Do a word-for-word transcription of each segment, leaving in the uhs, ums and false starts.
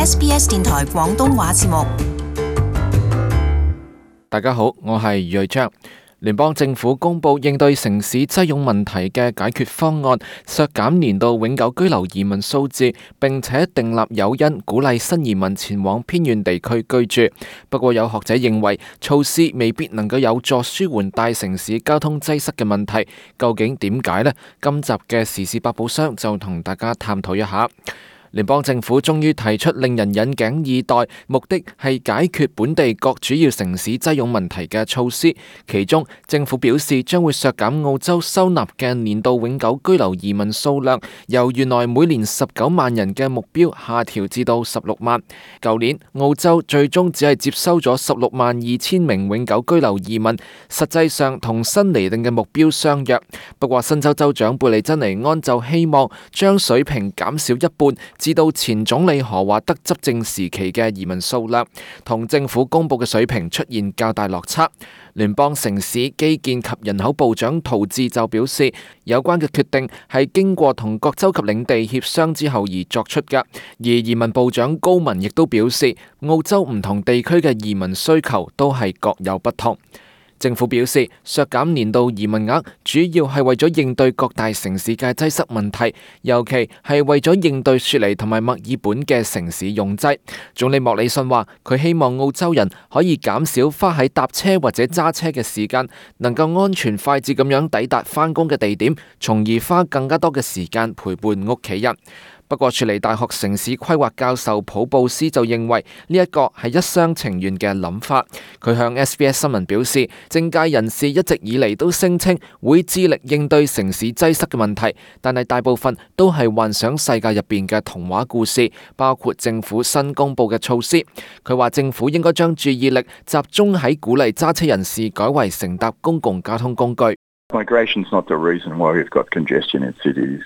S B S 電台廣東話節目。大家好，我係余瑞章。聯邦政府公布應對城市擠擁問題嘅解決方案，削減年度永久居留移民數字，並且訂立誘因，鼓勵新移民前往偏遠地區居住。不過有學者認為，措施未必能夠有助舒緩大城市交通擠塞嘅問題。究竟點解呢？今集嘅時事百寶箱就同大家探討一下。聯邦政府終於提出令人引頸以待，目的係解決本地各主要城市擠擁問題嘅措施。其中，政府表示將會削減澳洲收納嘅年度永久居留移民數量，由原來每年十九萬人嘅目標下調至到十六萬。舊年澳洲最終只係接收咗十六萬二千名永久居留移民，實際上同新釐定嘅目標相若。不過，新州州長貝利珍尼安就希望將水平減少一半，至到前總理何華德執政時期嘅移民數量，同政府公布嘅水平出現較大落差。聯邦城市基建及人口部長陶治就表示，有關嘅決定係經過同各州及領地協商之後而作出嘅。而移民部長高文亦都表示，澳洲唔同地區嘅移民需求都係各有不同。政府表示，削減年度移民額主要係為咗應對各大城市嘅擠塞問題，尤其係為咗應對雪梨同埋墨爾本嘅城市擁擠。總理莫里遜話，佢希望澳洲人可以減少花喺搭車或者揸車嘅時間，能夠安全快捷咁樣抵達返工嘅地點，從而花更加多嘅時間陪伴屋企人。不過，雪梨大學城市規劃教授普布斯就認為呢一個係一廂情願嘅諗法。佢向 S B S 新聞表示，政界人士一直以嚟都聲稱會致力應對城市擠塞嘅問題，但係大部分都係幻想世界入邊嘅童話故事，包括政府新公布嘅措施。佢話政府應該將注意力集中喺鼓勵揸車人士改為乘搭公共交通工具。Migration's not the reason why we've got congestion in cities.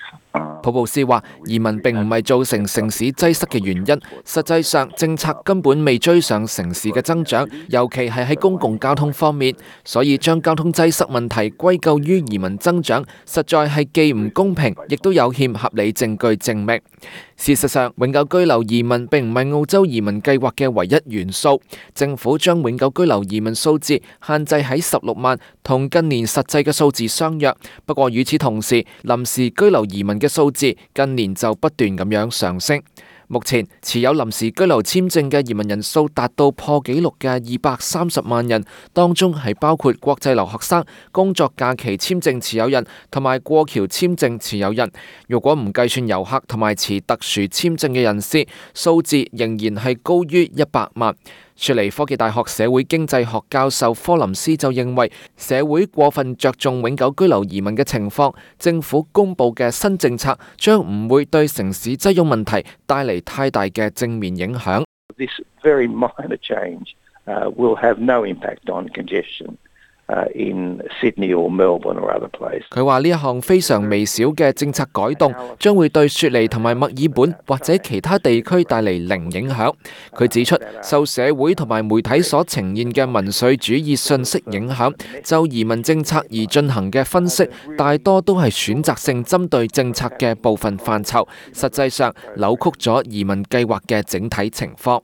普布斯話，移民並唔係造成城市擠塞嘅原因，實際上政策根本未追上城市嘅增長，尤其係喺公共交通方面，所以將交通擠塞問題歸咎於移民增長，實在係既唔公平，亦都有欠合理證據證明。事實上，永久居留移民並唔係澳洲移民計劃嘅唯一元素。政府將永久居留移民數字限制喺十六萬，同近年實際嘅數字相若。不過與此同時，臨時居留移民嘅數字近年就不斷咁樣上升。目前持有臨時居留簽證嘅移民人數達到破紀錄嘅二百三十萬人，當中係包括國際留學生、工作假期簽證持有人同埋過橋簽證持有人。如果唔計算遊客同埋持特殊簽證嘅人士，數字仍然係高於一百萬。雪梨科技大學社會經濟學教授科林斯就認為，社會過分着重永久居留移民嘅情況，政府公布嘅新政策將唔會對城市擠擁問題帶嚟太大嘅正面影響。This very minor change uh, will have no impact on congestion in Sydney or Melbourne or other places. 佢話呢一項非常微小嘅政策改動，將會對雪梨同埋墨爾本或者其他地區帶嚟零影響。佢指出，受社會同埋媒體所呈現嘅民粹主義信息影響，就移民政策而進行嘅分析，大多都係選擇性針對政策嘅部分範疇，實際上扭曲咗移民計劃嘅整體情況。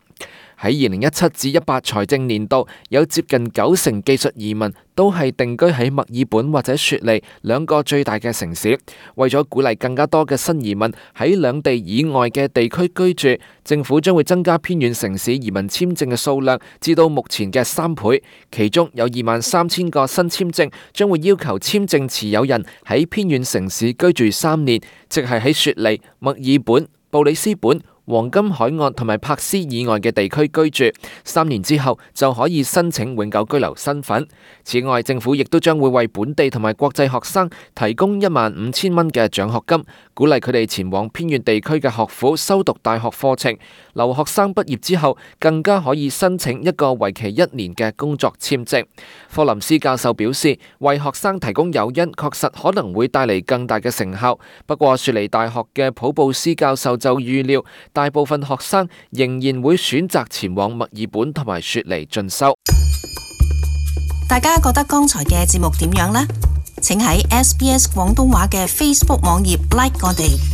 喺二零一七至一八財政年度，有接近九成技術移民都係定居喺墨爾本或者雪梨兩個最大嘅城市。為咗鼓勵更加多嘅新移民喺兩地以外嘅地區居住，政府將會增加偏遠城市移民簽證嘅數量至到目前嘅三倍。其中有二萬三千個新簽證將會要求簽證持有人喺偏遠城市居住三年，即係喺雪梨、墨爾本、布里斯本、黃金海岸同埋柏斯以外嘅地區居住，三年之後就可以申請永久居留身份。此外，政府亦都將會為本地同埋國際學生提供一萬五千蚊嘅獎學金，鼓勵佢哋前往偏遠地區嘅學府修讀大學課程。留學生畢業之後，更加可以申請一個為期一年嘅工作簽證。科林斯教授表示，為學生提供誘因確實可能會帶嚟更大嘅成效。不過，雪梨大學嘅普布斯教授就預料，大部分學生仍然會選擇前往墨爾本同埋雪梨進修。大家覺得剛才嘅節目點樣呢？請喺 S B S 廣東話嘅 Facebook 網頁 like 我哋。